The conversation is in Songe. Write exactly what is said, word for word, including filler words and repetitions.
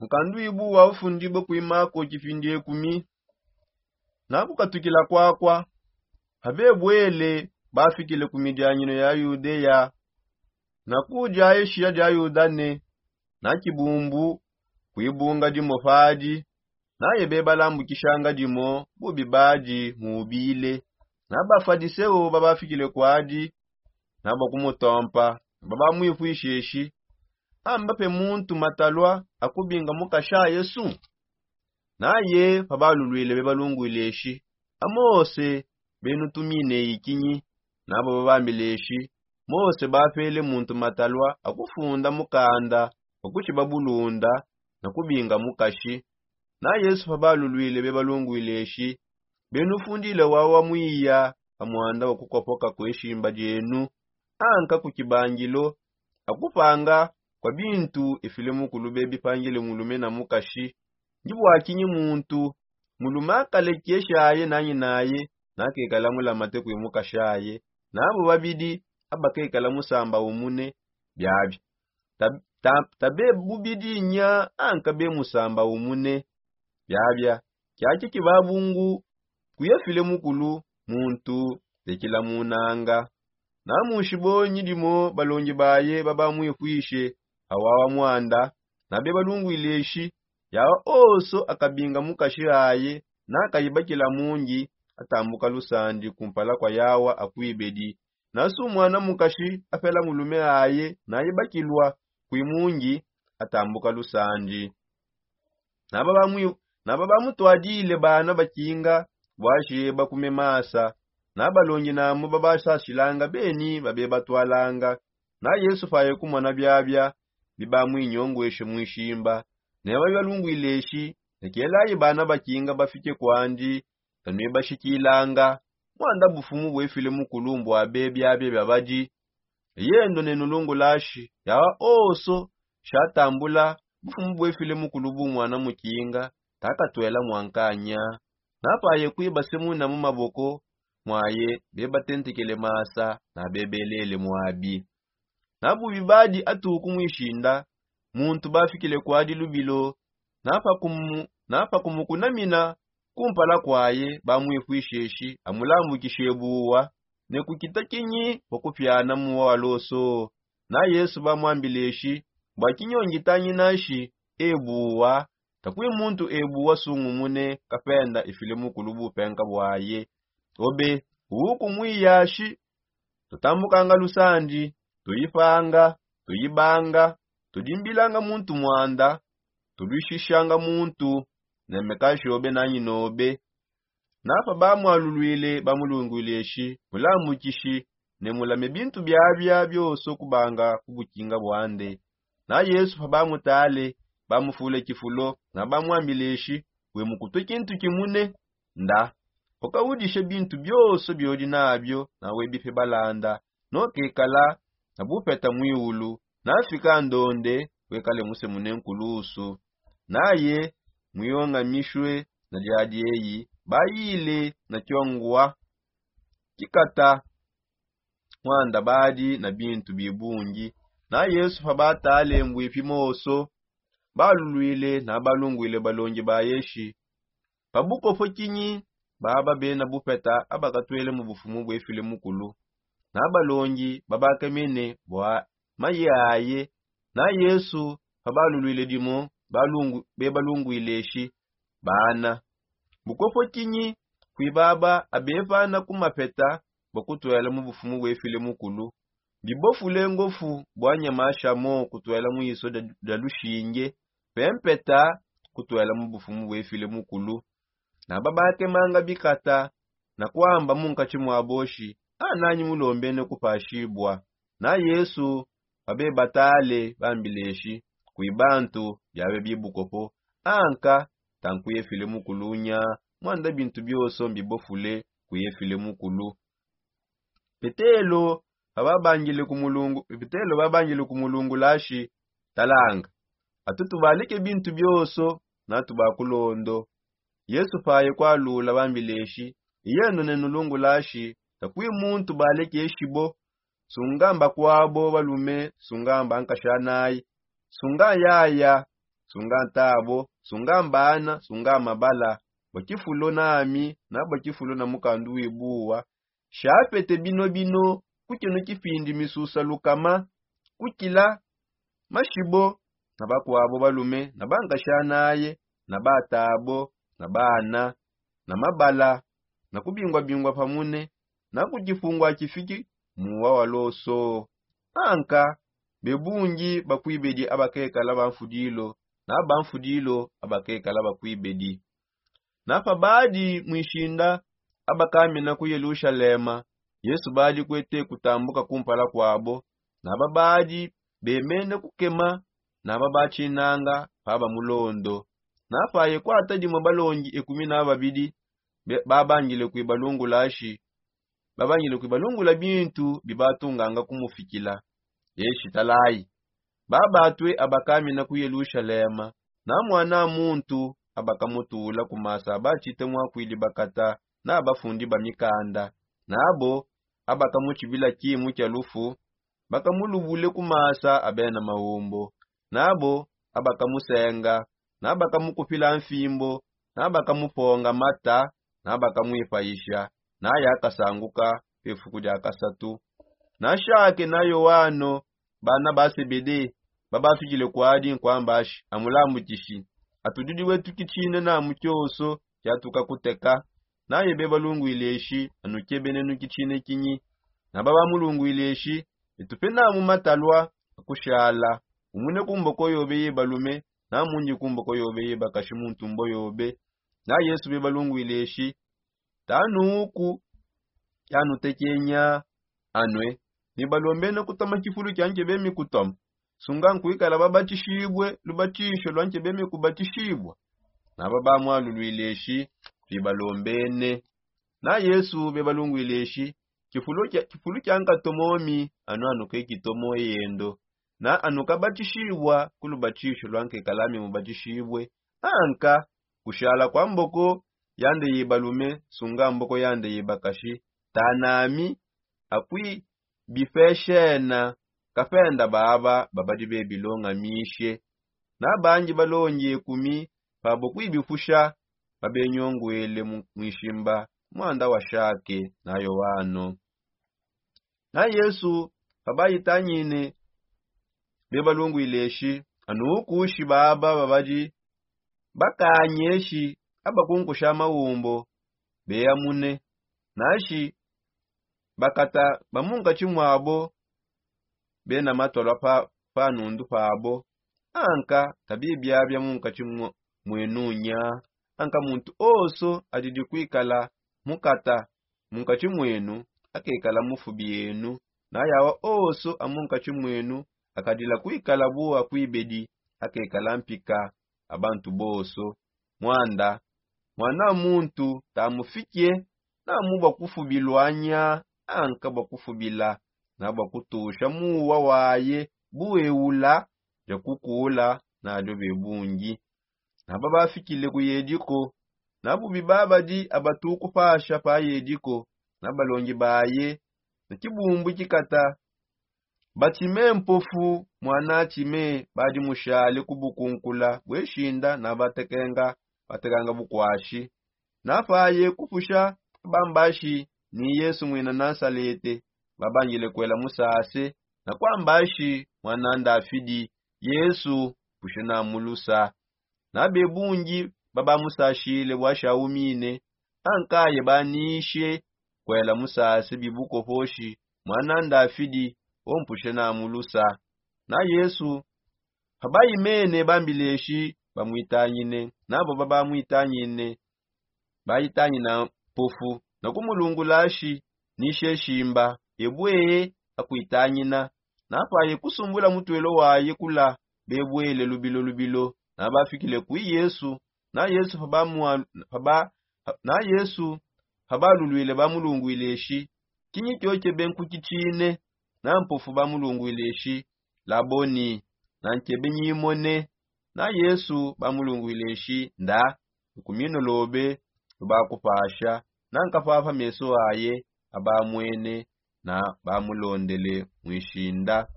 Mukandu ibu wa ufundibue kuimako kipindi ekumi. Nakukatukila kwakwa, pabebwele bafikile ku midianyino ya Yudeya na ku dia eshiya dia Yudane, na kibumbu kuibunga dimo padi, naye bebalambukishanga dimo bubi badi mubile. Na bafadiseo babafikile kwadi, na bakumutompa, babamwifwisheshi, amba pe muntu matalwa akubinga mukasha yesu? Naye pabalulwile bebalungwile eshi, amose benutumine ikinyi? Nabo babambile eshi, mose bapele muntu matalwa akufunda mukanda wakushiba bulunda na kubinga mukashi. Na yesu pabalulwile bebalungwile eshi, benufundile wawa mwiya pa mwanda wakukopoka kweshimba dienu, anka ku kibangilo akupanga kwa bintu efile mukulu bebipangile mulume na mukashi. Ndi bwakinyi muntu mulume akalekeshaye nanyi naye, nakekala mulamate kwi mukashaye, nabo babidi abakekala musamba umune? Biabia tabe bubidi nya anka be musamba umune. Biabia kiaki kibabungu kuyefile mukulu muntu tekilamunanga. Na munshibonyi dimo balongi baye babamwifwishe awawa mwanda, na bebalungwile eshi, yawa oso akabinga mukashi aye nakayibakila mungi, atambuka lusandi kumpala kwa yawa akwibedi. Na su mwana mukashi apela mulume aye nayibakilwa kwi mungi, atambuka lusandi. Naba bamutwadile bana bakinga bwasheba kume masa, na balongi namu babasashilanga beni babebatwalanga. Na yesu paye kumona biabia bibamwinyongweshe mwishimba, neba bibalungwile eshi, nekelayi bana bakinga bafike kwandi, tanwibashikilanga. Mwanda bufumu bwefile mukulu mbwa bebiabia biabadi. Yendo nenulungulashi yawa oso shatambula bufumu bwefile mukulu bu mwana mukinga, takatwela mwankanya. Napaye kwiba semuna mu maboko mwaye bebatentekele masa na bebelele mwabi. Na bubi badi atuku mwishinda muntu bafikile kwadi lubilo, na pakumukunamina kumpala kwaye bamwifwisheshi amulambukishe buwa. Ne kukita kinyi pakupiana muwa wa loso? Na yesu bamwambileshi, bwa kinyongi tanginashi ebuwa, takwi muntu ebuwa sungumune kapenda ifile mukulu bupenka bwaye. Obe uwu kumwiyashi, tutambukanga lusandi, tuyipanga, tuyibanga, tudimbilanga muntu mwanda, tulwishishanga muntu. Nemekashi obe nanyi nobe. Napa bamwalulwile bamulungwile eshi, mulambukishi, ne mulame bintu biabia bioso kubanga ku bukinga bwande. Na yesu pabamutale, bamufule kifulo na bamwambile eshi, we mukutwe kintu kimune? Nda ukawudishe bintu bioso biodi nabio na webipe balanda, nokekala na bupeta mwiulu, nafika ndonde wekale musemune nkulusu. Naye mwiongamishwe na diadi eyi bayile na kiongwa kikata mwanda badi na bintu bibungi. Na yesu pabatale mbwipi moso, balulwile na balungwile balongi baye eshi, pabukopo kinyi baba bena bupeta abakatwele mu bufumu bwefile mukulu? Na balongi babakemene bwa maye aye. Na yesu pabalulwile dimo, bebalungwile eshi, bana, bukopo kinyi kwi baba abepana ku mapeta bwa kutwela mu bufumu bwefile mukulu? Bibofule ngofu bwa nyamasha mo kutwela mu iso dia lushinge, pe mpeta kutwela mu bufumu bwefile mukulu. Na babakemanga bikata na kwamba munkatshi mwa boshi, ananyi mulombene kupashibwa? Na yesu pabebatale bambileshi, kwi bantu biabe bibukopo, anka tankuyefile mukulu nya, mwanda bintu bioso mbibofule kuyefile mukulu. Petelo pababangile ku mulungu petelo babangile ku mulungulashi, talanga, atu tubalike bintu bioso na tubakulondo. Yesu paye kwalula bambileshi, iyendo nenulungulashi, takwi muntu balekeshibo, sungamba kwabo balume, sungamba nkashanayi, sunga yaya, sunga ntabo, sunga mbana, sunga mabala, bua kifulo nami na bua kifulo na mukandu wibuwa. Shapete bino bino, kukino kipindi misusa lukama kukila mashibo, na bakuabo balume na bankashanaye, na batabo, na bana, na mabala, na kubingua-bingua pamune, na ku kifungua kifiki muwa wa loso. Anka bebungi bakuibedi abakekala bamfudilo, na bamfudilo abakekala bakuibedi. Na pabadi muishinda abakamina ku Yelushalema, Yesu badi kuete kutambuka kumpala kuabo, na babadi bemene kukema, na babatshinanga pa bamulondo. Na paye kuata dimue balongi ekumi na babidi, be- babangile kuibalungula shi babangile kuibalungula bintu bibatunganga kumufikila. Eshi talayi, babatue abakamina ku Yelushalema, na muana muntu abakamutula ku masa abatshite muakuidi bakata na bafundi ba mikanda, nabo abakamutshibila kimu kia lufu, bakamulubule ku masa a bena maumbo, nabo abakamusenga, na bakamukupila mfimbo, na bakamuponga mata, na bakamuipayisha, na yakasanguka pefuku dia kasatu. Na shake na Yoano, bana ba Sebede, babafikile kuadi nkuambashi, amulambukishi, atudidi wetu kitshine na mu kioso kiatuka kuteka. Naye bebalungwile eshi, anukebene nu kitshine kinyi. Na babamulungwile eshi, etupe namu matalua akushala, umune ku mboko yobe ye balume, na mundi ku mboko yobe ye bakashi mu ntumbo yobe. Na Yesu bebalungwile eshi, tanuku yanutekenya anue, ni balombene kutoma kifulu kia nkebe mikutoma, sunga nkuikala babatishibue lubatisho lua nkebe mikubatishibua. Na babamwalulwile eshi, tuibalombene. Na Yesu bebalungwile eshi, kifulu kia, kifulu kia nkatomomi anu anuke kitomo eyendo, na anukabatishibua ku lubatisho lua nkekalami mubatishibue, anka kushala kua mboko yande ye balume, sunga mboko yande ye bakashi, tanami akui bipeshena kapenda baba babadi bebilongamishe. Na bangi balongi ekumi pabo kuibipusha babenyonguele mu- muishimba muanda wa shake na Yoano. Na Yesu pabaitangine bebalungwile eshi, anukushi baba babadi bakanyeshi abakunkusha maumbo beamune, nashi bakata ba munkatshi muabo bena matolwa pa, pa nundu pabo. Anka kabibiabia munkatshi mu- mwenu nya. Anka muntu onso adidi kuikala mukata munkatshi mwenu akekala mufubi enu, na yawa onso a munkatshi mwenu akadila kuikala bua kuibedi akekala mpika a bantu bonso. Muanda Muana muntu tamufikie, na mu bua kufubilua nya, anka bua kufubila, na bua kutusha muwa waye bueula dia kukula nadio bebungi. Na babafikile ku Yediko, na bubi babadi abatu kupasha pa Yediko, na balongi baye, na kibumbu kikata Batime mpofu, muana Time, badi mushale ku bukunkula bueshinda na batekenga, batekanga bukuashi. Na paye kupusha, bambashi ni Yesu muina Nasalete, babangile kuela musase, na kuambashi, muana Ndafidi, Yesu, mpushe na mulusa. Na bebungi babamusashile bua shaumine, ankaye banishe kuela musase bibukoposhi, muana Ndafidi, ompushe na mulusa. Na Yesu pabaimene bambileshi, bamuitangine, nabo babamuitangine, baitangina mpofu, na kumulungulashi, nishe shimba, ebue akuitangina. Na paye kusumbula mutuelo waye kula, bebuele lubilo lubilo, na bafikile kui Yesu. Na Yesu pabamua- paba- na Yesu pabalulwile bamulungwile eshi, kinyi kiokebe nkukitshine? Na mpofu bamulungwile eshi, Laboni, na nkebe nyimone. Na Yesu bamulungwile eshi, nda, lukumino lobe lubakupasha. Na nkapapa meso aye abamwene, na bamulondele muishinda.